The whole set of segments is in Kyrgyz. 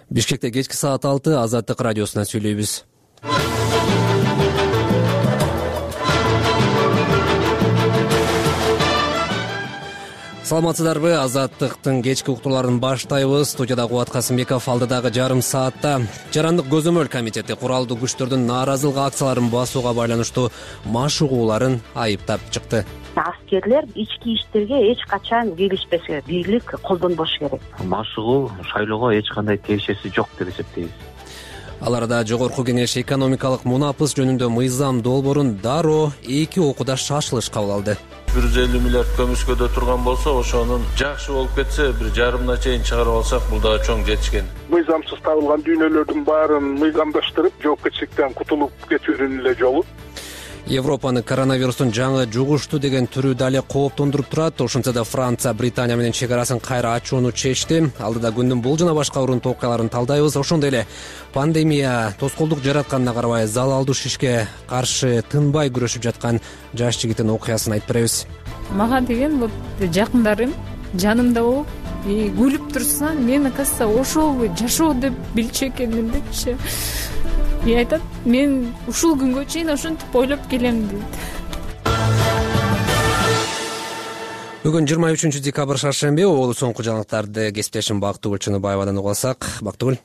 Бишкекте кечки саат 6 Азаттык радиосунан сүйлөйбүз. Саламатсыздарбы? Азаттыктын кечки уктууларын баштайбыз. Студияда Кубат Касымбеков. Алдыдагы жарым саатта Жарандык көзөмөл комитети куралдуу күчтөрдүн нааразылык акцияларын басууга байланыштуу маш угууларын айыптап чыкты. Аскерлер ички иштерге эч качан киришпесе, бийлик колдонбош керек. Маш угуу шайлоого эч кандай тиешеси жок деп эсептейбиз. Ал арада Жогорку Кеңеш экономикалык мунапыс жөнүндө мыйзам долбоорун дароо 2 окууда шашылыш кабыл алды. 150 миллиард көмүскөдө турган болсо, ошонун жакшы болуп кетсе, 1,5 чейин чыгарып алсак, бул дагы чоң жетишкен. Мыйзамсыз табылган дүйнөлөрдүн баарын мыйзамдаштырып, жоопкерчиликтен кутулуп кетүүнүн эле жолу. Европаны коронавирустун жаңы жугушту деген түрү дале кооптондуруп турат. Ошентсе да Франция Британия менен чек арасын кайра ачууну чечти. Алдыда күндүн бул жана башка урунтуу окуяларын талдайбыз. Ошондой эле пандемия тоскоолдук жаратканына карабай залалдуу шишке каршы тынбай күрөшүп жаткан жаш жигиттин окуясын айтып беребиз. Мага деген вот жакындарым жанымда болуп, күлүп турса, мен оказывается ошол жашоо деп билчү экенмин депчи. Айтат, мен ушул күнгө чейин ошентип ойлоп келем дейт. Бүгүн 23 декабрь шаршемби. Олу соңку жаңылыктарды кесиптешим Бактыгүл Чыныбаевадан угуп алсак. Бактыгүл.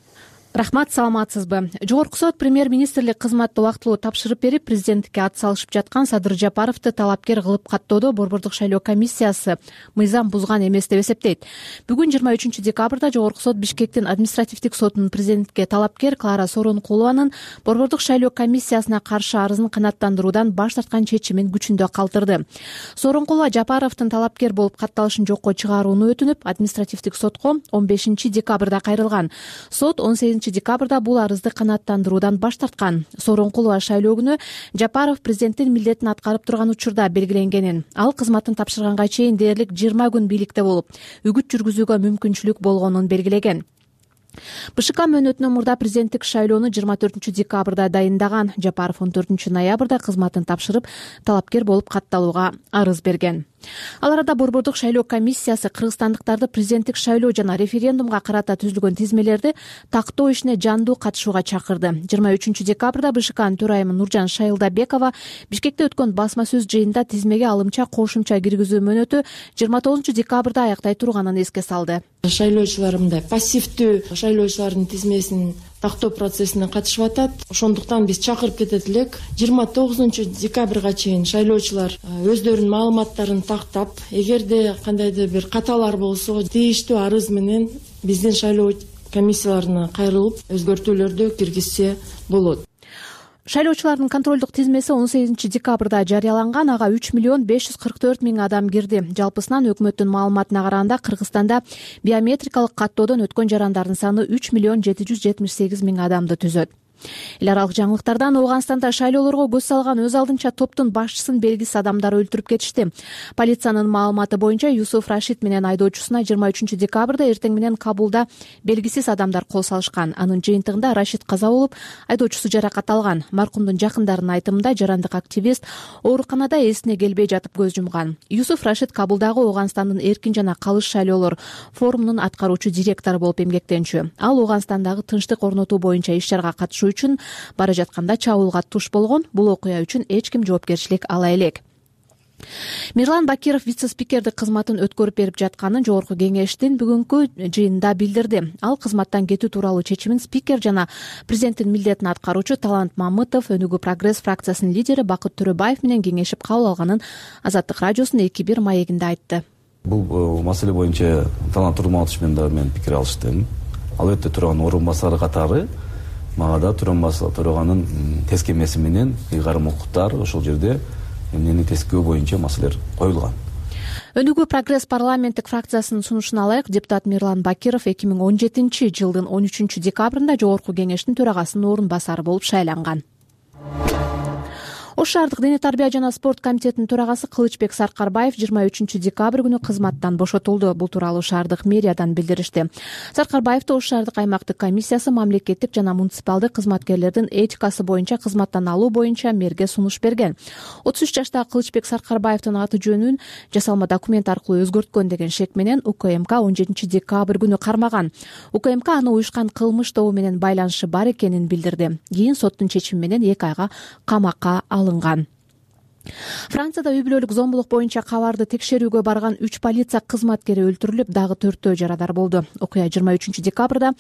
Рахмат, саламатсызбы? Жогорку сот премьер-министрлик кызматты убактылуу тапшырып берип, президенттикке ат салышып жаткан Садыр Жапаровду талапкер кылып каттоодо Борбордук шайлоо комиссиясы мыйзам бузган эмес деп эсептейт. Бүгүн 23 декабрда Жогорку сот Бишкектин административдик сотунун президентке талапкер Клара Сооронкулованын Борбордук шайлоо комиссиясына каршы арызын канааттандыруудан баш тарткан чечимин күчүндө калтырды. Сооронкулова Жапаровдун талапкер болуп катталышын жокко чыгарууну өтүнүп, административдик сотко 15 декабрда кайрылган. Сот 18 декабрда бул арызды канааттандыруудан баш тарткан. Сооронкулова шайлоо күнү Жапаров президенттин милдетин аткарып турган учурда белгиленгенин, ал кызматын тапшырганга чейин дээрлик 20 күн бийликте болуп, үгүт жүргүзүүгө мүмкүнчүлүк болгонун белгилеген. БШК мөөнөтүнөн мурда президенттик шайлоону 24 декабрда дайындаган. Жапаров 14 ноябрда кызматын тапшырып, талапкер болуп катталууга арыз берген. Ал арада Борбордук шайлоо комиссиясы кыргызстандыктарды президенттик шайлоо жана референдумга карата түзүлгөн тизмелерди тактоо ишине жандуу катышууга чакырды. 23 декабрда БШКнын төрайымы Нуржан Шайылдабекова Бишкекте өткөн басма сөз жыйынында тизмеге алымча кошумча киргизүү мөөнөтү 29 декабрда аяктай турганын эске салды. Шайлоочулар мындай пассивдүү шайлоочулардын тизмесин тактоо процессине катышып атат. Ошондуктан биз чакырып кетет элек. 29 декабрга чейин шайлоочулар өздөрүнүн маалыматтарын тактап, эгерде кандайдыр бир каталар болсо, тийиштүү арыз менен биздин шайлоо комиссияларына кайрылып, өзгөртүүлөрдү киргизсе болот. Шайлоочулардын контролдук тизмеси 18 декабрда жарыяланган. Ага 3 миллион 544 миң адам кирди. Жалпысынан өкмөттүн маалыматына караганда Кыргызстанда биометрикалык каттоодон өткөн жарандардын саны 3 миллион 778 миң адамды түзөт. Эл аралык жаңылыктардан Ооганстанда шайлоолорго көз салган өз алдынча топтун башчысын белгисиз адамдар өлтүрүп кетишти. Полициянын маалыматы боюнча Юсуф Рашид менен айдоочусуна 23 декабрда эртең менен Кабулда белгисиз адамдар кол салышкан. Анын жыйынтыгында Рашид каза болуп, айдоочусу жаракат алган. Маркумдун жакындарынын айтымында жарандык активист ооруканада эсине келбей жатып көз жумган. Юсуф Рашид Кабулдагы Ооганстандын эркин жана калыс шайлоолор форумунун аткаруучу директору болуп эмгектенчү. Ал Ооганстандагы тынчтык орнотуу боюнча иш-чарага катышуу үчүн бара жатканда чабуулга туш болгон. Бул окуя үчүн эч ким жоопкерчилик ала элек. Мирлан Бакиров вице-спикердик кызматын өткөрүп берип жатканын Жогорку Кеңештин бүгүнкү жыйынында билдирди. Ал кызматтан кетүү тууралуу чечимин спикер жана президенттин милдетин аткаруучу Талант Мамытов, Өнүгүү Прогресс фракциясынын лидери Бакыт Төрөбаев менен кеңешип кабыл алганын Азаттык радиосунун 2-1 маегинде айтты. Бул маселе боюнча Талант Турматович менен дагы мен пикир алыштым. Ал өтө турган орун басары катары мага да төраганын тескемеси менен ыйгарым укуктар ошол жерде эмнени тескөө боюнча маселелер коюлган. Өнүгүү Прогресс парламенттик фракциясынын сунушуна ылайык депутат Мирлан Бакиров 2017 жылдын 13 декабрында Жогорку Кеңештин төрагасынын орун басары болуп шайланган. Ош шаардык дене тарбия жана спорт комитетинин төрагасы Кылычбек Саркарбаев 23 декабрь күнү кызматтан бошотулду. Бул тууралуу шаардык мэриядан билдиришти. Саркарбаевди Ош шаардык аймактык комиссиясы мамлекеттик жана муниципалдык кызматкерлердин этикасы боюнча кызматтан алуу боюнча мэрге сунуш берген. 33 жаштагы Кылычбек Саркарбаевдин аты жөнүн жасалма документ аркылуу өзгөрткөн деген шек менен УКМК 17 декабрь күнү кармаган. УКМК аны уюшкан кылмыш тобу менен байланышы бар экенин билдирди. Кийин соттун чечими менен 2 айга камакка алынган. Францияда үй бүлөлүк зомбулук боюнча кабарды текшерүүгө барган 3 полиция кызматкери өлтүрүлүп, дагы 4 жарадар болду. Окуя 23 декабрда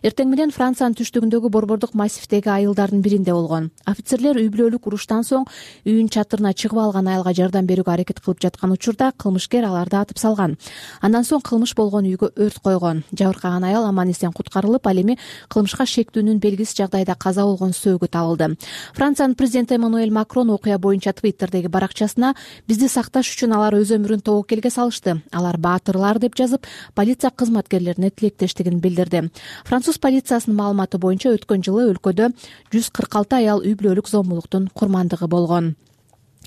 эртең менен Франциянын түштүгүндөгү борбордук массивдеги айылдардын биринде болгон. Офицерлер үй бүлөлүк уруштан соң үйүнүн чатырына чыгып алган айылга жардам берүүгө аракет кылып жаткан учурда кылмышкер аларды атып салган. Андан соң кылмыш болгон үйгө өрт койгон. Жабыркаган аял аман эсен куткарылып, ал эми кылмышка шектүүнүн белгисиз жагдайда каза болгон сөөгү табылды. Франциянын президенти Эммануэль Макрон окуя боюнча Твиттердеги баракчасына бизди сакташ үчүн алар өз өмүрүн тобокелге салышты. Алар баатырлар деп жазып, полиция кызматкерлерине тилектештигин билдирди. Француз полициясынын маалыматы боюнча өткөн жылы өлкөдө 146 аял үй бүлөлүк зомбулуктун курмандыгы болгон.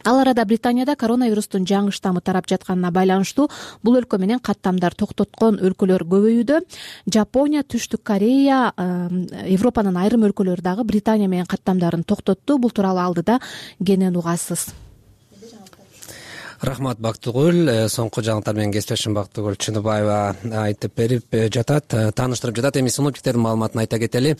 Ал арада Британияда коронавирустун жаңы штаммы тарап жатканына байланыштуу бул өлкө менен каттамдар токтоткон өлкөлөр көбөйүүдө. Жапония, Түштүк Корея, Европанын айрым өлкөлөрү дагы Британия менен каттамдарын токтотту. Бул тууралуу алдыда кенен угасыз. Рахмат, Бактыгүл. Соңку жаңылыктар менен кесиптешим Бактыгүл Чыныбаева айтып берип жатат, тааныштырып жатат. Эми синоптиктердин маалыматын айта кетели.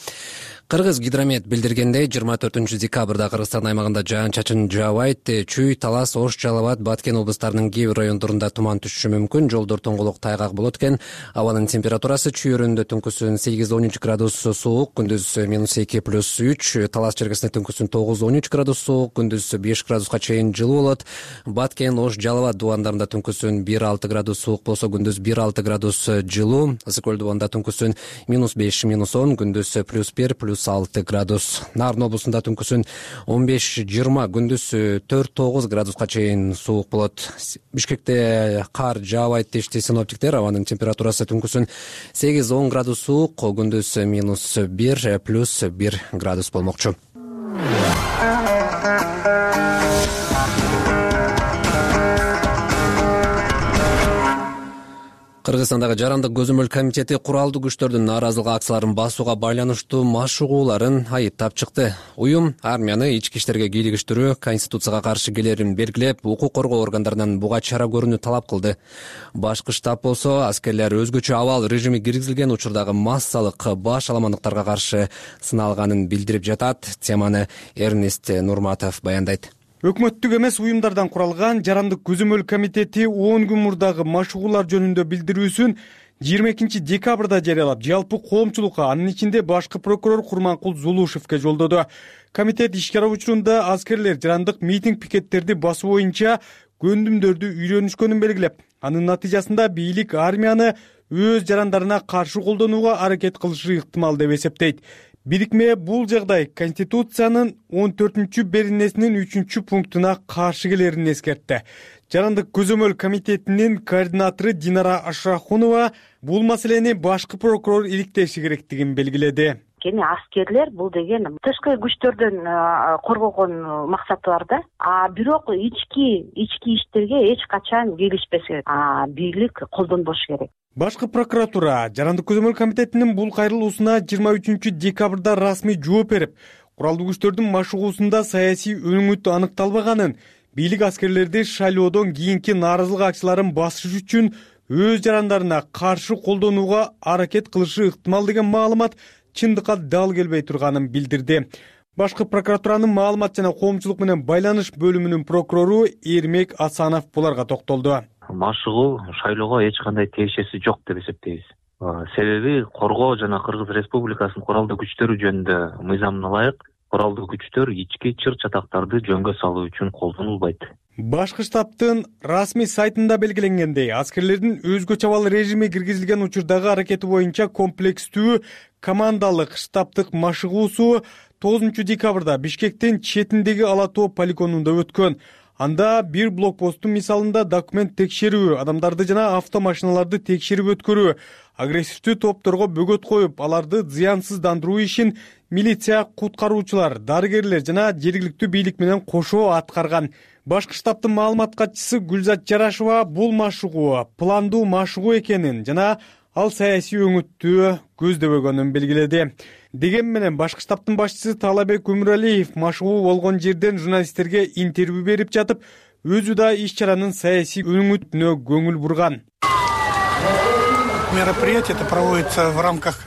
Кыргыз гидромет билдиргендей, 24 декабрда Кыргызстан аймагында жаан-чачын жаабайт. Чүй, Талас, Ош, Жалал Абад, Баткен облустарынын кээ бир райондорунда туман түшүшү мүмкүн. Жолдор тоңголук, тайгак болот экен. Абанын температурасы Чүй өрөөнүндө түнкүсүн 8-13 градус суук, күндүз -2 + 3. Талас чергесинде түнкүсүн 9-13 градус суук, күндүз 5 градуска чейин жылуу болот. Баткен, Ош, Жалал Абад дубандарында түнкүсүн 1-6 градус суук болсо, күндүз 1-6 градус жылуу. Ысык көл дубанында түнкүсүн -5 -10, күндүз +1 +6 градус. Нарын облусунда түнкүсүн 15-20, күндүз 4-9 градуска чейин суук болот. Бишкекте кар жаабайт дешти синоптиктер. Абанын температурасы түнкүсүн 8-10 градус суук, күндүз -1 +1 градус болмокчу. Кыргызстандагы жарандык көзөмөл комитети куралдуу күчтөрдүн нааразылык акцияларын басууга байланыштуу машыгууларын айыптап чыкты. Уюм армияны ички иштерге кийлигиштирүү, конституцияга каршы келерин белгилеп, укук коргоо органдарынан буга чара көрүүнү талап кылды. Башкы штаб болсо, аскерлер өзгөчө абал режими киргизилген учурдагы массалык баш аламандыктарга каршы сыналганын билдирип жатат. Теманы Эрнест Нурматов баяндайт. Өкмөттүк эмес уюмдардан куралган жарандык көзөмөл комитети 10 күн мурдагы машыгуулар жөнүндө билдирүүсүн 22 декабрда жарыялап, жалпы коомчулукка, анын ичинде башкы прокурор Курманкул Зулушевке жолдоду. Комитет ишкер учурунда аскерлер жарандык митинг-пикеттерди басуу боюнча көндүмдөрдү үйрөнүшкөнүн белгилеп, анын натыйжасында бийлик армияны өз жарандарына каршы колдонууга аракет кылышы ыктымал деп эсептейт. Бирикме бул жагдай Конституциянын 14-беренесинин 3-пунктуна каршы келерин эскертти. Жарандык көзөмөл комитетинин координатору Динара Ашрахунова бул маселени башкы прокурор иликтеши керектигин белгиледи. Аскерлер бул деген тышкы күчтөрдөн коргогон максаты бар да. Бирок ички иштерге эч качан киришпеш керек. Бийлик колдонбош керек. Башкы прокуратура жарандык көзөмөл комитетинин бул кайрылуусуна 23 декабрда расмий жооп берип, куралдуу күчтөрдүн машыгуусунда саясий өнүгүт аныкталбаганын, бийлик аскерлерди шайлоодон кийинки нааразылык акцияларын басыш үчүн өз жарандарына каршы колдонууга аракет кылышы ыктымал деген маалымат чындыкка дал келбей турганын билдирди. Башкы прокуратуранын маалымат жана коомчулук менен байланыш бөлүмүнүн прокурору Эрмек Асанов буларга токтолду. Машыгуу шайлоого эч кандай тиешеси жок деп эсептейбиз. Себеби коргоо жана Кыргыз Республикасынын куралдуу күчтөрү жөнүндө мыйзамына ылайык куралдуу күчтөр ички чыр-чатактарды жөнгө салуу үчүн колдонулбайт. Башкы штабтын расмий сайтында белгиленгендей, аскерлердин өзгөчө абал режими киргизилген учурдагы аракети боюнча комплекстүү командалык штабтык машыгуусу 9 декабрда Бишкектин четиндеги Ала Тоо полигонунда өткөн. Анда бир блокпосттун мисалында документ текшерүү, адамдарды жана автомашиналарды текшерип өткөрүү, агрессивдүү топторго бөгөт коюп, аларды зыянсыздандыруу ишин милиция, куткаруучулар, дарыгерлер жана жергиликтүү бийлик менен кошо аткарган. Башкы штабтын маалымат катчысы Гүлзат Жарашева бул машыгуу пландуу машыгуу экенин жана ал саясий өңүттү көздөбөгөнүн белгиледи. Деген менен башкы штабтын башчысы Талабек Өмүралиев машыгуу болгон жерден журналисттерге интервью берип жатып, өзү да иш-чаранын саясий өңүтүнө көңүл бурган. Мероприятие проводится в рамках.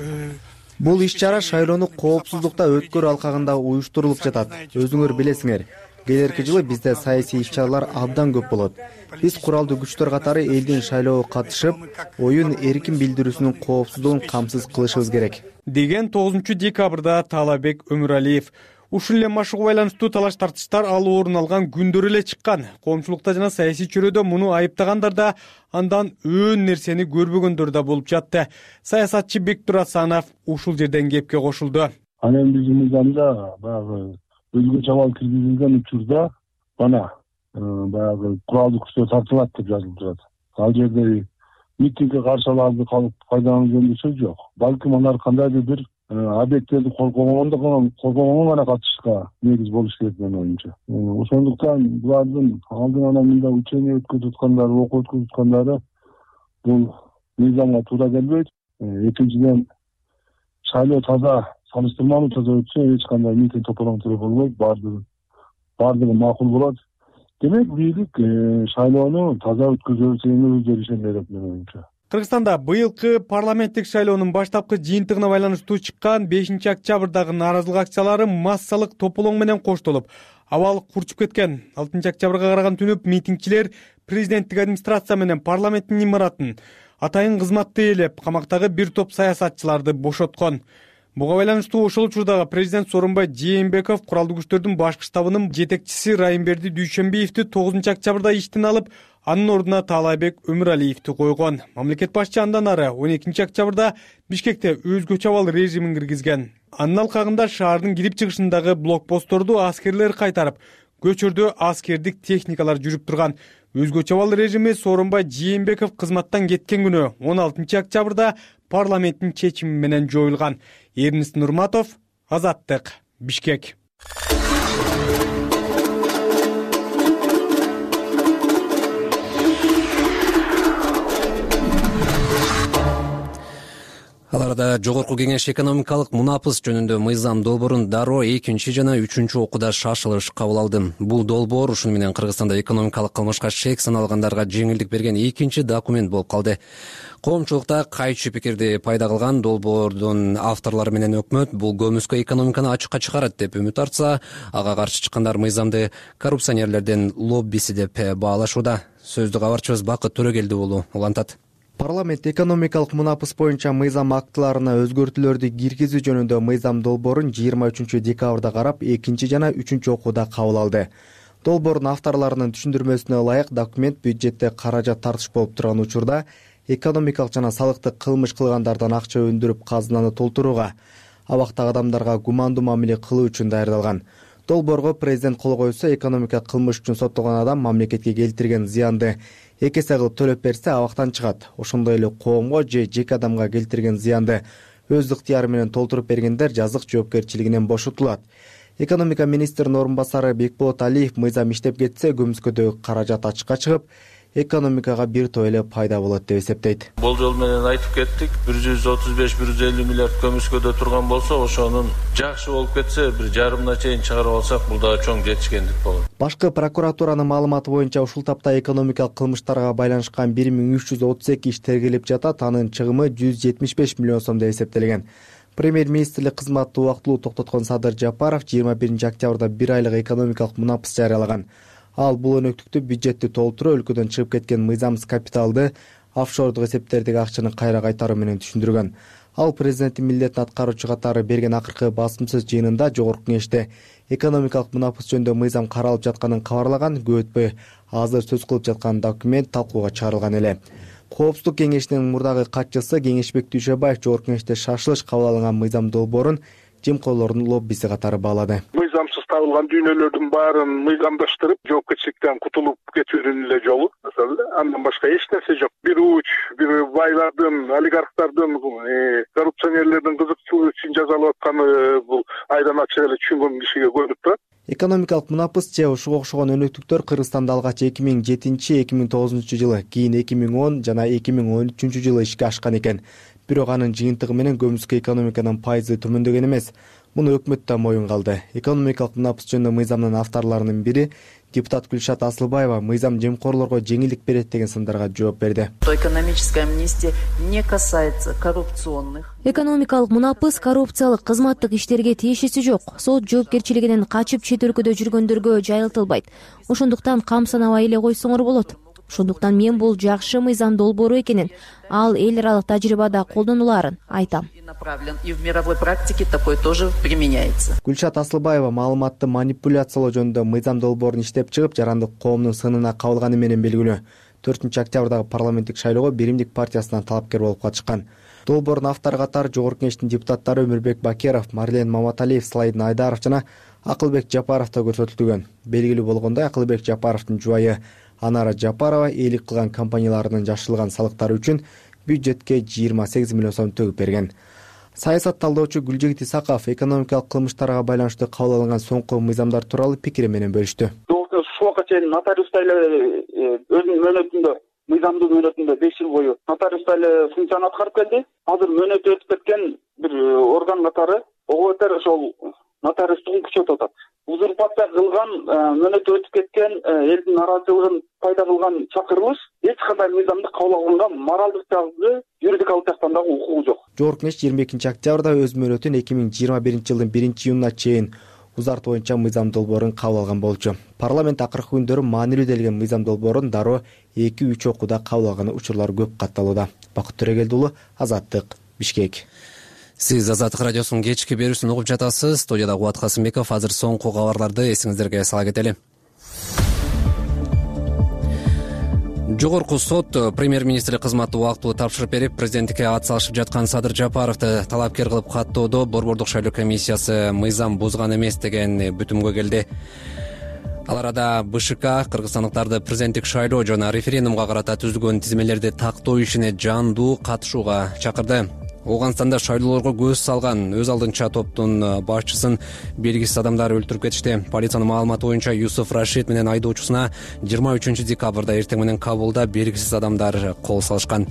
Бул иш-чара шайлоону коопсуздукта өткөрүү алкагында уюштурулуп жатат. Өзүңөр билесиңер, келерки жылы бизде саясий иш-чаралар абдан көп болот. Биз куралдуу күчтөр катары элдин шайлоого катышып, оюн эркин билдирүүсүнүн коопсуздугун камсыз кылышыбыз керек, деген 9 декабрда Талабек Өмүралиев. Ушул эле машыгуу байланыштуу талаш тартыштар ал орун алган күндөр эле чыккан. Коомчулукта жана саясий чөйрөдө муну айыптагандар да, андан өөн нерсени көрбөгөндөр да болуп жатты. Саясатчы Бектур Асанов ушул жерден кепке кошулду. Анан биздин мыйзамда баягы өзгөчө абал киргизилген учурда баягы куралдуу күчтөр тартылат деп жазылып турат. Ал жерде митингге каршы аларды пайдалануу жөнүндө сөз жок. Балким алар кандайдыр бир объекттерди коргогонго гана катышышка негиз болуш керек менин оюмча. Ошондуктан булардын алдын ала мындай учение өткөрүп аткандары, окуу өткөрүп аткандары бул мыйзамга туура келбейт. Экинчиден, шайлоо таза, салыштырмалуу таза өтсө эч кандай митинг тополоңтуруу болбойт, баардыгы макул болот. Демек, бийлик шайлоону таза өткөзөбүз деген өздөрү ишенет деп менин оюмча. Кыргызстанда быйылкы парламенттик шайлоонун баштапкы жыйынтыгына байланыштуу чыккан 5 октябрдагы нааразылык акциялары массалык тополоң менен коштолуп, абал курчуп кеткен. 6 октябрга караган түнү митингчилер президенттик администрация менен парламенттин имаратын атайын кызматты ээлеп, камактагы бир топ саясатчыларды бошоткон. Буга байланыштуу ошол учурдагы президент Сооронбай Жээнбеков куралдуу күчтөрдүн башкы штабынын жетекчиси Райымберди Дүйшөнбиевди 9 октябрда иштен алып, анын ордуна Талабек Өмүралиевди койгон. Мамлекет башчы андан ары 12 октябрда Бишкекте өзгөчө абал режимин киргизген. Анын алкагында шаардын кирип чыгышындагы блокпостторду аскерлер кайтарып, көчөрдө аскердик техникалар жүрүп турган. Өзгөчө абал режими Сооронбай Жээнбеков кызматтан кеткен күнү 16 октябрда парламенттин чечими менен жоюлган. Эрнест Нурматов, Азаттык, Бишкек. Ал арада Жогорку Кеңеш экономикалык мунапыс жөнүндө мыйзам долбоорун дароо 2 жана 3 окууда шашылыш кабыл алды. Бул долбоор ушуну менен Кыргызстанда экономикалык кылмышка шек саналгандарга жеңилдик берген 2 документ болуп калды. Коомчулукта кайчы пикирди пайда кылган долбоордун авторлору менен өкмөт бул көмүскө экономиканы ачыкка чыгарат деп үмүт артса, ага каршы чыккандар мыйзамды коррупционерлердин лоббиси деп баалашууда. Сөздү кабарчыбыз Бакыт Төрөгелди уулу улантат. Парламент экономикалык мунапыс боюнча мыйзам актыларына өзгөртүүлөрдү киргизүү жөнүндө мыйзам долбоорун 23 декабрда карап 2 жана 3 окууда кабыл алды. Долбоордун авторлорунун түшүндүрмөсүнө ылайык документ бюджетте каражат тартыш болуп турган учурда экономикалык жана салыктык кылмыш кылгандардан акча өндүрүп казынаны толтурууга, абактагы адамдарга гумандуу мамиле кылуу үчүн даярдалган. Долбоорго президент кол койсо, экономика кылмыш үчүн соттолгон адам мамлекетке келтирген зыянды эки эсе кылып төлөп берсе абактан чыгат. Ошондой эле коомго же жеке адамга келтирген зыянды өз ыктыяры менен толтуруп бергендер жазык жоопкерчилигинен бошотулат. Экономика министринин орун басары Бекболот Алиев мыйзам иштеп кетсе, көмүскөдөгү каражат ачыкка чыгып, экономикага бир топ эле пайда болот деп эсептейт. Болжол менен айтып кеттик, 135-150 миллиард көмүскөдө турган болсо, ошонун жакшы болуп кетсе, бир жарымына чейин чыгарып алсак, бул да чоң жетишкендик болот. Башкы прокуратуранын маалыматы боюнча ушул тапта экономикалык кылмыштарга байланышкан 1332 иш тергелип жатат, анын чыгымы 175 миллион сом деп эсептелген. Премьер-министрлик кызматты убактылуу токтоткон Садыр Жапаров 21 октябрда 1 айлык экономикалык мунапыс жарыялаган. Ал бул өнөктүктү бюджетти толтуруу, өлкөдөн чыгып кеткен мыйзамсыз капиталды, офшордук эсептердеги акчаны кайра кайтаруу менен түшүндүргөн. Ал президенттин милдетин аткаруучу катары берген акыркы басымсыз жыйынында Жогорку Кеңеште экономикалык мунапыс жөнүндө мыйзам каралып жатканын кабарлаган. Көп өтпөй азыр сөз кылып жаткан документ талкууга чыгарылган эле. Коопсуздук кеңешинин мурдагы катчысы Кеңешбек Дүйшөбаев Жогорку Кеңеште шашылыш кабыл алынган мыйзам долбоорун жемкорлордун лоббиси катары баалады. Мыйзамсыз табылган дүйнөлөрдүн баарын мыйзамдаштырып, жоопкерчиликтен кутулуп кетүүнүн эле жолу. Андан башка эч нерсе жок. Бир уч, бир байлардын, олигархтардын, коррупционерлердин кызыкчылыгы үчүн жазалап атканы бул Экономикалык мунапыс же ушуга окшогон өнөктүктөр Кыргызстанда алгач 2007-2009 жылы, кийин 2010 жана 2013 жылы ишке ашкан экен. Бирок анын жыйынтыгы менен көмүскө экономиканын пайызы төмөндөгөн эмес. Муну өкмөт да моюнга алды. Экономикалык мунапыс жөнүндө мыйзамдын авторлорунун бири депутат Гүлшат Асылбаева мыйзам жемкорлорго жеңилдик берет деген сындарга жооп берди. Экономическая амнистия не касается коррупционных. Экономикалык мунапыс коррупциялык кызматтык иштерге тиешеси жок. Сот жоопкерчилигинен качып чет өлкөдө жүргөндөргө жайылтылбайт. Ошондуктан кам санабай эле койсоңор болот. Ошондуктан мен бул жакшы мыйзам долбоору экенин, ал эл аралык тажрыйбада колдонулаарын айтам. И в мировой практике такой тоже применяется. Гүлшат Асылбаева маалыматты манипуляциялоо жөнүндө мыйзам долбоорун иштеп чыгып, жарандык коомдун сынына кабылганы менен белгилүү. 4-октябрдагы парламенттик шайлоого Биримдик партиясынан талапкер болуп катышкан. Долбоордун автору катары Жогорку Кеңештин депутаттары Өмүрбек Бакеров, Марлен Маматалиев, Слайдин Айдаров жана Акылбек Жапаров да көрсөтүлгөн. Белгилүү болгондой, Акылбек Жапаровдун жубайы Анара Жапарова эйлик кылган компанияларынын жашырылган салыктары үчүн бюджетке 28 миллион сом төгүп берген. Саясат талдоочу Гүлжегит Исаков экономикалык кылмыштарга байланыштуу кабыл алынган соңку мыйзамдар тууралуу пикири менен бөлүштү. Ушуга чейин нотариуста эле өзүнүн мөөнөтүндө, мыйзамдуу мөөнөтүндө 5 жыл бою нотариуста эле функцияны аткарып келди. Азыр мөөнөтү өтүп кеткен бир орган катары ого-бетер ошол нотариустугун күчөтүп атат. Узурпация кылган, мөөнөтү өтүп кеткен, элдин нараазычылыгын пайда кылган чакырылыш эч кандай мыйзамды кабыл алганга моралдык жагы, юридикалык жактан дагы укугу жок. Жогорку Кеңеш 22-октябрда өз мөөнөтүн 2021 жылдын 1-июнуна чейин узартуу боюнча мыйзам долбоорун кабыл алган болчу. Парламент акыркы күндөрү маанилүү делген мыйзам долбоорун дароо 2-3 окууда кабыл алган учурлар көп катталууда. Бакыт Төрөгелди уулу, Азаттык, Бишкек. Сиз Азаттык радиосунун кечки берүүсүн угуп жатасыз. Студияда Кубат Касымбеков. Азыр соңку кабарларды эсиңиздерге сала кетели. Жогорку сот премьер-министрлик кызматты убактылуу тапшырып берип, президенттикке ат салышып жаткан Садыр Жапаровду талапкер кылып каттоодо Борбордук шайлоо комиссиясы мыйзам бузган эмес деген бүтүмгө келди. Ал арада БШК кыргызстандыктарды президенттик шайлоо жана референдумга карата түзүлгөн тизмелерди тактоо ишине жандуу катышууга чакырды. Ооганстанда шайлоолорго көз салган өз алдынча топтун башчысын белгисиз адамдар өлтүрүп кетишти. Полициянын маалыматы боюнча Юсуф Рашид менен айдоочусуна 23 декабрда эртең менен Кабулда белгисиз адамдар кол салышкан.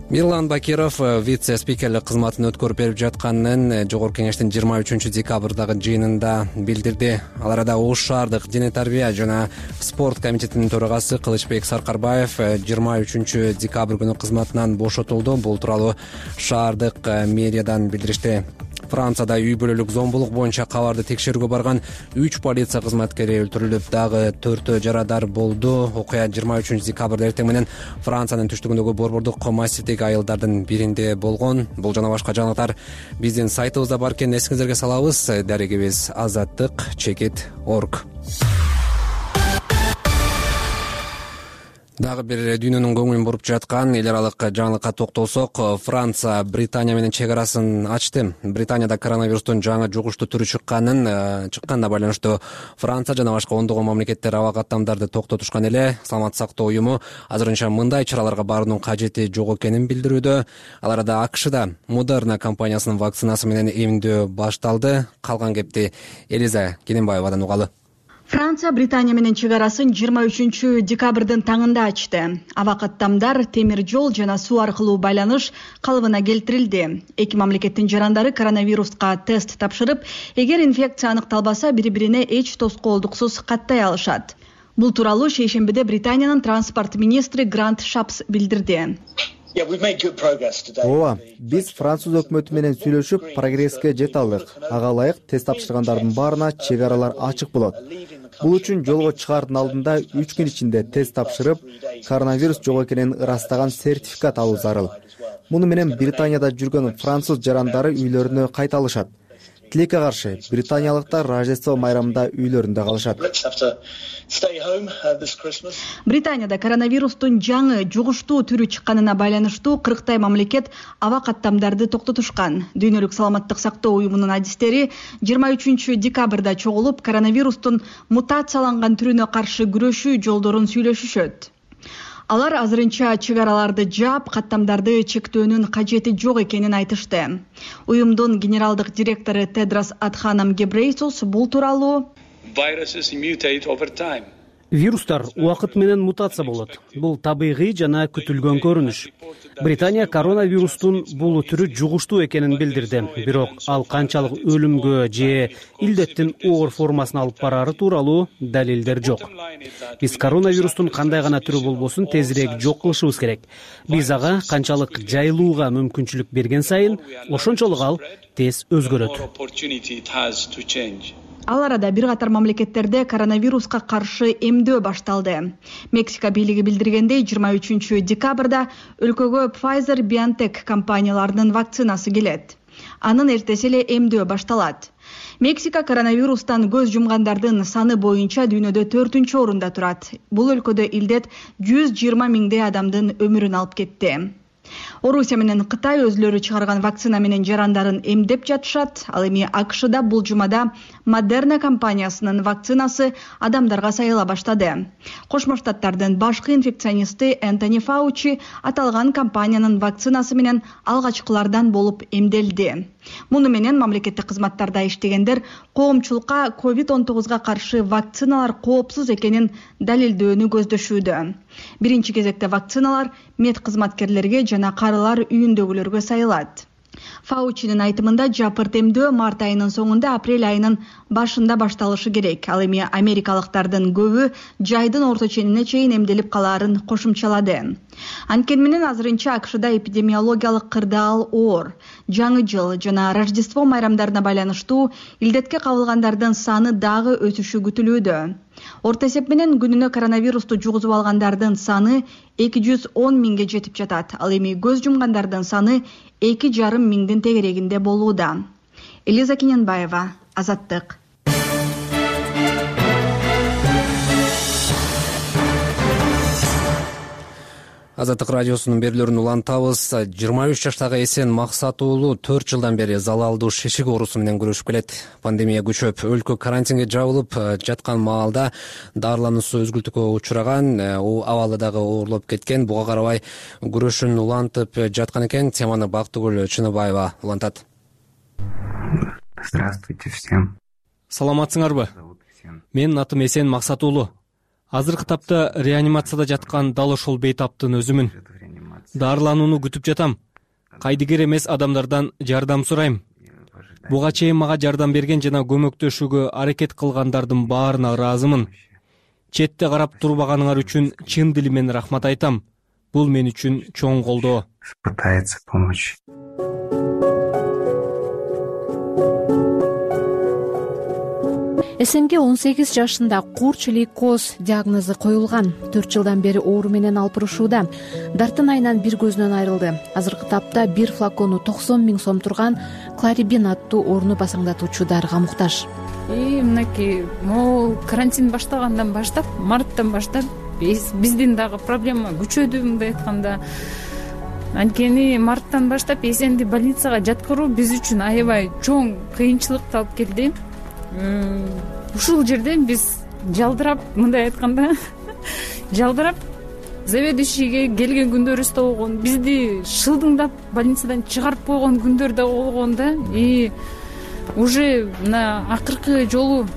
Мирлан Бакиров вице-спикерлик кызматын өткөрүп берип жатканын Жогорку Кеңештин 23 декабрдагы жыйынында билдирди. Ал арада Ош шаардык дене тарбия жана спорт комитетинин төрагасы Кылычбек Саркарбаев 23 декабрь күнү кызматынан бошотулду. Бул тууралуу шаардык мэриядан билдиришти. Францияда үй бүлөлүк зомбулук боюнча кабарды текшерүүгө барган 3 полиция кызматкери өлтүрүлүп, дагы 4 жарадар болду. Окуя 23 декабрда эртең менен Франциянын түштүгүндөгү борбордук массивдеги айылдардын биринде болгон. Бул жана башка жаңылыктар биздин сайтыбызда бар экенин эсиңиздерге салабыз. Дарегибиз azattik.org. Дагы бир дүйнөнүн көңүлүн буруп жаткан эл аралык жаңылыкка токтолсок, Франция Британия менен чек арасын ачты. Британияда коронавирустун жаңы жугуштуу түрү чыкканына байланыштуу Франция жана башка ондогон мамлекеттер аба каттамдарды токтотушкан эле. Саламаттык сактоо уюму азырынча мындай чараларга баруунун кажети жок экенин билдирүүдө. Ал арада АКШда Moderna компаниясынын вакцинасы менен эмдөө башталды. Калган кепти Элиза Кененбаевадан угалы. Франция Британия менен чек арасын 23 декабрдын таңында ачты. Аба каттамдар, темир жол жана суу аркылуу байланыш калыбына келтирилди. Эки мамлекеттин жарандары коронавируска тест тапшырып, эгер инфекция аныкталбаса, бири-бирине эч тоскоолдуксуз каттай алышат. Бул тууралуу шейшембиде Британиянын транспорт министри Грант Шапс билдирди. Ооба, биз француз өкмөтү менен сүйлөшүп, прогресске жете алдык. Ага ылайык тест тапшыргандардын баарына чек аралар ачык болот. Бул үчүн жолго чыгаардын алдында 3 күн ичинде тест тапшырып, коронавирус жок экенин ырастаган сертификат алуу зарыл. Муну менен Британияда жүргөн француз жарандары үйлөрүнө кайта алышат. Тилекке каршы, британиялыктар Рождество майрамында үйлөрүндө калышат. Британияда коронавирустун жаңы жугуштуу түрү чыкканына байланыштуу 40 мамлекет аба каттамдарды токтотушкан. Дүйнөлүк саламаттык сактоо уюмунун адистери 23 декабрда чогулуп, коронавирустун мутацияланган түрүнө каршы күрөшүү жолдорун сүйлөшүшөт. Алар азырынча чек араларды жаап, каттамдарды чектөөнүн кажети жок экенин айтышты. Уюмдун генералдык директору Тедрос Адханам Гебрейсус бул тууралуу Вирустар убакыт менен мутация болот. Бул табигый жана күтүлгөн көрүнүш. Британия коронавирустун бул түрү жугуштуу экенин билдирди. Бирок ал канчалык өлүмгө же илдеттин оор формасына алып барары тууралуу далилдер жок. Биз коронавирустун кандай гана түрү болбосун тезирээк жок кылышыбыз керек. Биз ага канчалык жайылууга мүмкүнчүлүк берген сайын, ошончолук ал тез өзгөрөт. Ал арада бир катар мамлекеттерде коронавируска каршы эмдөө башталды. Мексика бийлиги билдиргендей, 23 декабрда өлкөгө Pfizer BioNTech компанияларынын вакцинасы келет. Анын эртеси эле эмдөө башталат. Мексика коронавирустан көз жумгандардын саны боюнча дүйнөдө 4-орунда турат. Бул өлкөдө илдет 120 миңдей адамдын өмүрүн алып кетти. Орусия менен Кытай өзлөрү чыгарган вакцина менен жарандарын эмдеп жатышат. Ал эми АКШда бул жумада Moderna компаниясынын вакцинасы адамдарга сайыла баштады. Кошмо Штаттардын башкы инфекционисти Энтони Фаучи аталган компаниянын вакцинасы менен алгачкылардан болуп эмделди. Муну менен мамлекеттик кызматтарда иштегендер коомчулукка COVID-19 каршы вакциналар коопсуз экенин далилдөөнү көздөшүүдө. Биринчи кезекте вакциналар мед кызматкерлерге жана карылар үйүндөгүлөргө сайылат. Фаучинин айтымында жапырт эмдөө март айынын соңунда апрель айынын башында башталышы керек. Ал эми америкалыктардын көбү жайдын орто ченине чейин эмделип калаарын кошумчалады. Анткени менен азырынча АКШда эпидемиологиялык кырдаал оор. Жаңы жыл жана Рождество майрамдарына байланыштуу илдетке кабылгандардын саны дагы өсүшү күтүлүүдө. Орто эсеп менен күнүнө коронавирусту жугузуп алгандардын саны 210 миңге жетип жатат. Ал эми көз жумгандардын саны 2,5 миңдин тегерегинде болууда. Элиза Кененбаева, Азаттык. Азаттык радиосунун берүүлөрүн улантабыз. 23 жаштагы Эсен Максат уулу 4 жылдан бери залалдуу шишик оорусу менен күрөшүп келет. Пандемия күчөп, өлкө карантинге жабылып жаткан маалда дарылануусу өзгүлтүккө учураган, абалы дагы оорлоп кеткен. Буга карабай күрөшүн улантып жаткан экен. Теманы Бактыгүл Чыныбаева улантат. Здравствуйте всем. Саламатсыңарбы? Менин атым Эсен Максат уулу. Азыркы тапта реанимацияда жаткан дал ошол бейтаптын өзүмүн. Дарыланууну күтүп жатам. Кайдыгер эмес адамдардан жардам сурайм. Буга чейин мага жардам берген жана көмөктөшүүгө аракет кылгандардын баарына ыраазымын. Четте карап турбаганыңар үчүн чын дили менен рахмат айтам. Бул мен үчүн чоң колдоо. Пытается помочь. Эсенге 18 жашында курч лейкоз диагнозу коюлган. 4 жылдан бери оору менен алпырышууда. Дартын айынан бир көзүнөн айрылды. Азыркы тапта бир флакону 90 миң сом турган Кларибин аттуу ооруну басаңдатуучу дарыга муктаж. Мынакей могул карантин башталгандан баштап, марттан баштап биздин дагы проблема күчөдү, мындай айтканда. Анткени марттан баштап Эсенди больницага жаткыруу биз үчүн аябай чоң кыйынчылыкты алып келди. Ушул жерде биз жалдырап, мындай айтканда, жалдырап заведующийге келген күндөрүбүз да болгон, бизди шылдыңдап больницадан чыгарып койгон күндөр да болгон да. И уже мына акыркы жолу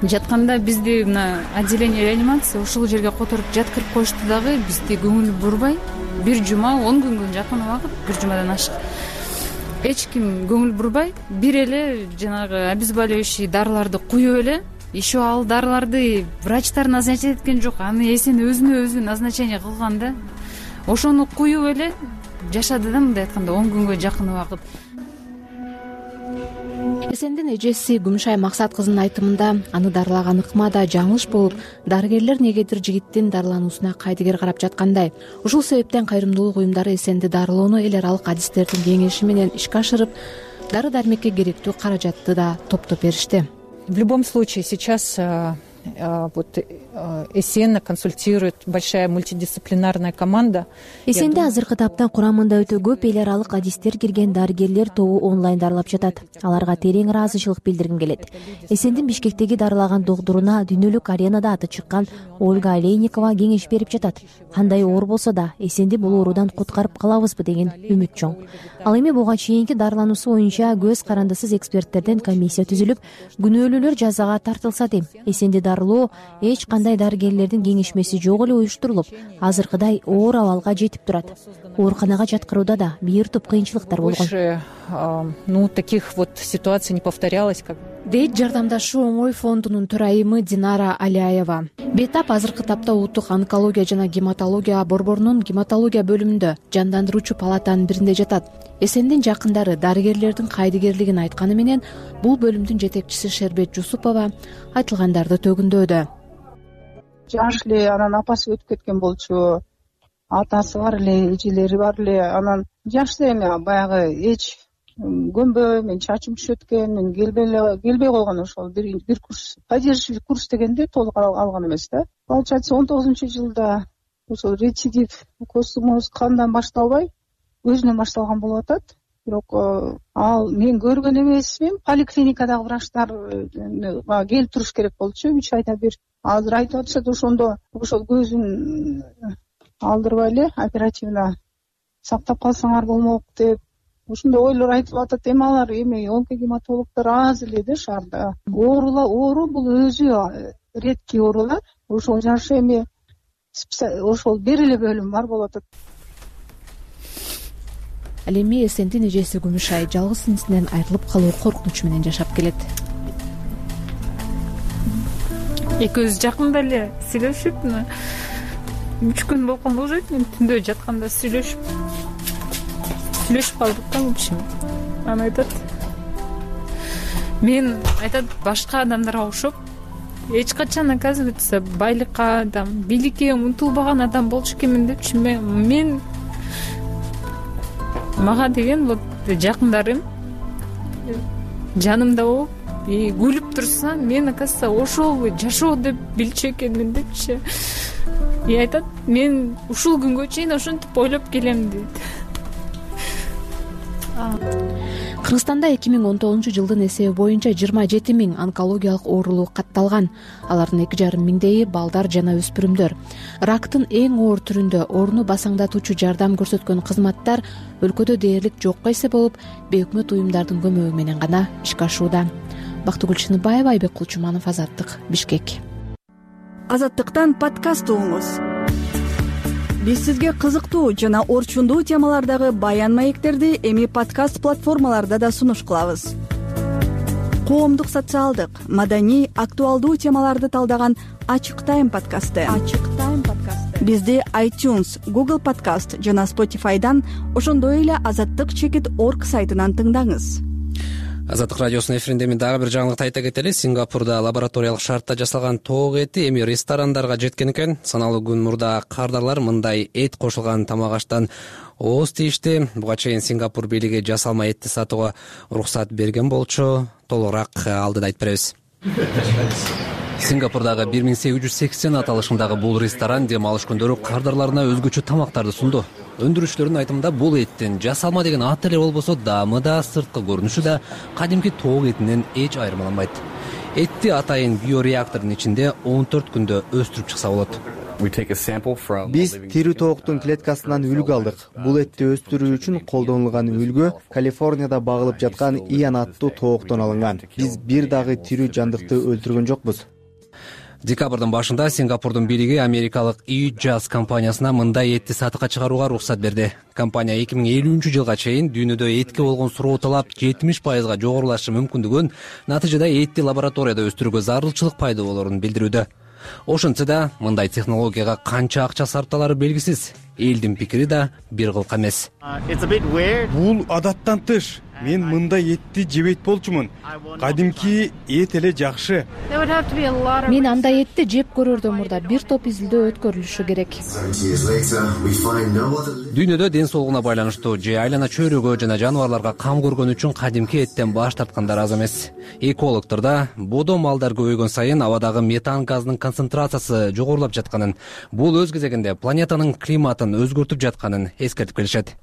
жатканда бизди мына отделение реанимации ушул жерге которуп жаткырып коюшту дагы, бизди көңүл бурбай, бир жума, 10 күнгө жакын убакыт, бир жумадан ашык. Эч ким көңүл бурбай, бир эле жанагы обезболивающий дарыларды куюп эле, еще ал дарыларды врачтар назначать эткен жок, аны Эсен өзүнө өзү назначение кылган да. Ошону куюп эле жашады да, мындай айтканда 10 күнгө жакын убакыт. Эсендин эжеси Күмүшай Максат кызынын айтымында, аны дарылаган ыкма да жаңылыш болуп, дарыгерлер негедир жигиттин дарылануусуна кайдыгер карап жаткандай. Ушул себептен кайрымдуулук уюмдары Эсенди дарылоону эл аралык адистердин кеңеши менен ишке ашырып, дары-дармекке керектүү каражатты да топтоп беришти. В любом случае сейчас вот Эсен консультирует большая мультидисциплинарная команда. Эсенде азыркы таптан курамында өтө көп эл аралык адистер кирген дарыгерлер тобу онлайн дарылап жатат. Аларга терең ыраазычылык билдиргим келет. Эсендин Бишкектеги дарылаган доктуруна дүйнөлүк аренада аты чыккан Ольга Олейникова кеңеш берип жатат. Кандай оор болсо да Эсенди бул оорудан куткарып калабызбы деген үмүт чоң. Ал эми буга чейинки дарылануусу боюнча көз карандысыз эксперттерден комиссия түзүлүп, күнөөлүүлөр жазага тартылса дейм. Эсенди дарылоо эч кандай дарыгерлердин кеңешмеси жок эле уюштурулуп, азыркыдай оор абалга жетип турат. Ооруканага жаткырууда да бир топ кыйынчылыктар болгон. Таких вот ситуаций не повторялось, как дейт Жардамдашуу оңой фондунун төрайымы Динара Аляева. Бетап азыркы тапта улуттук онкология жана гематология борборунун гематология бөлүмүндө жандандыруучу палатанын биринде жатат. Эсендин жакындары дарыгерлердин кайдыгерлигин айтканы менен бул бөлүмдүн жетекчиси Шербет Жусупова айтылгандарды төгүндөдү. Жаш эле, анан апасы өтүп кеткен болчу, атасы бар эле, эжелери бар эле, анан жаш эми баягы эч көнбөй, мен чачым түшүп өткөн, мен келбей койгон ошол бир курс, поддерживающий курс дегенде толук алган эмес да. Получается 19-жылда ошол рецидив космоз кандан башталбай өзүнөн башталган болуп атат. Бирок ал мен көргөн эмесмин, поликлиникадагы врачтар келип туруш керек болчу 3 айда бир. Азыр айтып атышат ошондо ошол көзүн алдырбай эле оперативно сактап калсаңар болмок деп ушундай ойлор айтылып атат. Эми алар онкогематологдор аз эле да шаарда. Оору бул өзү редкий оорулар. Ошол жашы эми ошол бир эле бөлүм бар болуп атат. Ал эми Эсендин эжеси Күмүшай жалгыз сиңдисинен айрылып калуу коркунучу менен жашап келет. Экөөбүз жакында эле сүйлөшүп, 3 күн болгон болжойт, мен түндө жатканда сүйлөшүп калдык да в общем. Аны айтат. Мен айтат башка адамдарга окшоп эч качан, оказывается, байлыкка, бийликке умтулбаган адам болчу экенмин депчи. Мен мага деген вот жакындарым жанымда болуп күлүп турса, мен, оказывается, ошол жашоо деп билчү экенмин депчи. Айтат, мен ушул күнгө чейин ошентип ойлоп келем дейт. Кыргызстанда 2019-жылдын эсеби боюнча 27 000 онкологиялык оорулуу катталган. Алардын 2,5 миңдейи балдар жана өспүрүмдөр. Рактын эң оор түрүндө орну басаңдатуучу жардам көрсөткөн кызматтар өлкөдө дээрлик жокко эсеп болуп, бейөкмөт уюмдардын көмөгү менен гана ишке ашууда. Бактыгүл Чыныбаева, Айбек Кулчуманов, Азаттык, Бишкек. Азаттыктан подкаст угуңуз. Биз сизге кызыктуу жана орчундуу темалардагы баян маектерди эми подкаст платформаларда да сунуш кылабыз. Коомдук, социалдык, маданий, актуалдуу темаларды талдаган Ачык Тайм подкасты. Бизди iTunes, Google Podcast жана Spotify'дан, ошондой эле azattyk.org сайтынан тыңдаңыз. Азаттык радиосунун эфиринде эми дагы бир жаңылыкты айта кетели. Сингапурда лабораториялык шартта жасалган тоок эти эми ресторандарга жеткен экен. Саналуу күн мурда кардарлар мындай эт кошулган тамак аштан ооз тийишти. Буга чейин Сингапур бийлиги жасалма этти сатууга уруксат берген болчу. Толугураак алдыда айтып беребиз. Сингапурдагы 1880 аталышындагы бул ресторан дем алыш күндөрү кардарларына өзгөчө тамактарды сунду. Өндүрүүчүлөрдүн айтымында бул эттин жасалма деген аты эле болбосо, даамы да, сырткы көрүнүшү да кадимки тоок этинен эч айырмаланбайт. Этти атайын биореактордун ичинде 14 күндө өстүрүп чыкса болот. Биз тирүү тооктун клеткасынан үлгү алдык. Бул этти өстүрүү үчүн колдонулган үлгү Калифорнияда багылып жаткан Иан аттуу тооктон алынган. Биз бир дагы тирүү жандыкты өлтүргөн жокпуз. Декабрдын башында Сингапурдун бийлиги америкалык Jazz компаниясына мындай этти сатыкка чыгарууга уруксат берди. Компания 2050-жылга чейин дүйнөдө этке болгон суроо талап 70% жогорулашы мүмкүндүгүн, натыйжада этти лабораторияда өстүрүүгө зарылчылык пайда болорун билдирүүдө. Ошентсе да мындай технологияга канча акча сарпталары белгисиз. элдин пикири да бир кылка эмес. Бул адаттан тыш. Мен мындай этти жебейт болчумун. Кадимки эт эле жакшы. Мен андай этти жеп көрөрдөн мурда бир топ изилдөө өткөрүлүшү керек. Дүйнөдө ден соолугуна байланыштуу же айлана чөйрөгө жана жаныбарларга кам көргөн үчүн кадимки эттен баш тарткандар аз эмес. Экологдор да бодо малдар көбөйгөн сайын абадагы метан газынын концентрациясы жогорулап жатканын, бул өз кезегинде планетанын климатын өзгөртүп жатканын эскертип келишет.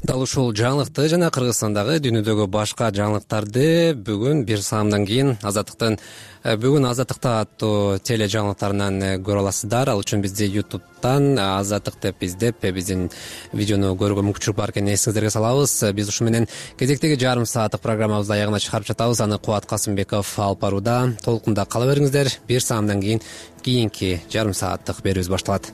Дал ушул жаңылыкты жана Кыргызстандагы дүйнөдөгү башка жаңылыктарды бүгүн бир саамдан кийин бүгүн Азаттыкта аттуу теле жаңылыктарынан көрө аласыздар. Ал үчүн бизди YouTube'дан Азаттык деп издеп, биздин видеону көрүүгө мүмкүнчүлүк бар экенин эсиңиздерге салабыз. Биз ушу менен кезектеги жарым сааттык программабызды аягына чыгарып жатабыз. Аны Кубат Касымбеков алып барууда. Толкунда кала бериңиздер. Бир саамдан кийин кийинки жарым сааттык берүүбүз башталат.